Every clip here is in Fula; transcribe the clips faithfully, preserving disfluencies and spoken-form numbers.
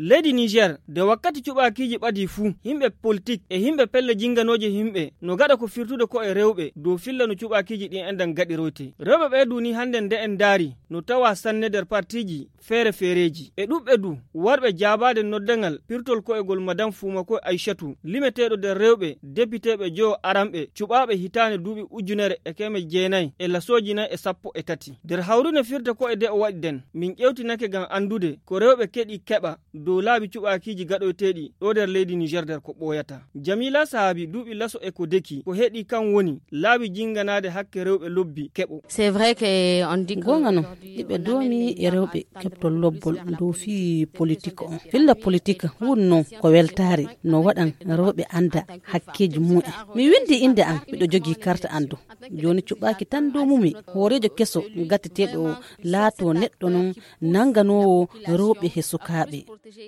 Leydi Niger, nde wakkati cuɓaakiiji ɓadii fuu, yimɓe politik e yimɓe pelle jinnganooje yimɓe no ngaɗa ko firtude ko'e rewɓe dow filla no cuɓaakiiji ɗin enɗan gaɗiroytee. Rewɓe ɓee du nii hannden nde en ndaari no tawaa sanne nder partiiji feere-feereeji. E ɗuɓɓe du warɓe jaabaade noddangal pirtol ko'egol Madame Fumakoy Aysatu, limeteeɗo nder rewɓe depiteeɓe jowo aranɓe cuɓaaɓe hitaande duuɓi ujunere e keme jeenay e lasooji nay e sappo e tati. Nder hawrine firde ko'e de o waɗi nden, min ƴeewtinake ngam anndude ko rewɓe keɗi keɓa dow laabi cuɓaakiiji gaɗoyteeɗi ɗo nder leydi Niger nder ko ɓooyata. Jamila Sahabi duuɓi laso e ko deki, ko heɗi kan woni laabi jinnganaade hakke rewɓe lobbi keɓo. C'est vrai que on dit que Goonga non, hiɓe doomi e rewɓe keɓtol lobbol dow fii politik on. Filla politik wun non ko weltaare no waɗan rewɓe annda hakkeeji mumen. Mi winndi innde an, miɗo jogii karta an du. Jooni cuɓaaki tan dow mumi, hooreejo keso gatteteeɗo laatoo neɗɗo non nannganoowo rewɓe he sukaaɓe.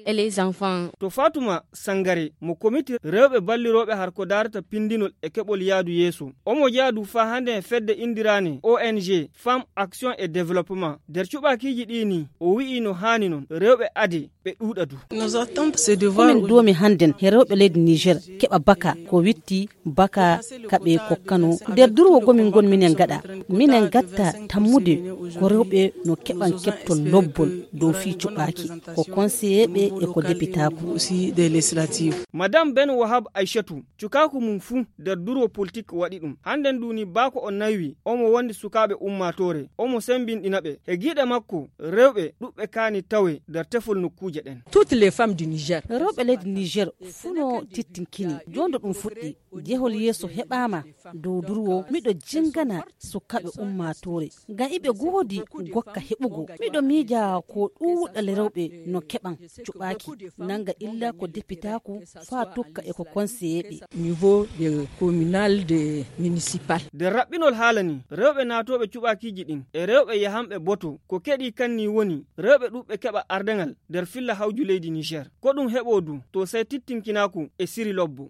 Et les enfants. To Fatuma Sangare mo komiti rewɓe ballirooɓe har ko daarata pindinol e keɓol yaadu yeeso. Omo jeyaa du faa hannde e fedde indiraane O N G Femmes Action et Développement. Nder cuɓaakiiji ɗii nii, o wi'i no haani non rewɓe ade ɓe ɗuuɗa du. Komin doomi hannden he rewɓe leydi Niger keɓa baka ko witti baka ka ɓe kokkano. Nder durwo gomin ngon minen gaɗa, minen gatta tammude ko rewɓe no keɓan keɓtol lobbol dow fii cuɓaaki, ko konseyeeɓe e ko depitaaku. Madame Ben Wahab Aishatu, cukaaku mum fuu nder durwo politik waɗi ɗum. Hannden du ni baako o naywi, omo wondi sukaaɓe ummaatoore, omo sembinɗina ɓe. He giiɗe makko, rewɓe ɗuɓɓe kaani tawe nder tefol nokkuuje ɗen. Toutes les femmes du Niger. Rewɓe leydi Niger fuu no tittinkini. Jooni ɗum fuɗɗi. Jehol yeeso heɓaama dow durwo. Miɗo jingana sukaaɓe ummaatoore. Ngam iɓe goodi gokka heɓugo. Miɗo miija ko ɗuuɗal rewɓe no keɓan cuɓaaki. Nanga illa ko depitaaku faa tokka e ko konseyeeɓe. Niveau de communal de municipal. Nder raɓɓinol haala ni, rewɓe naatooɓe cuɓaakiiji ɗin e rewɓe yahanɓe boto ko keɗi kan ni woni rewɓe ɗuɓɓe keɓa ardangal nder filla hawju leydi Niger. Ko ɗum heɓoo du to sey tittinkinaaku e siri lobbo.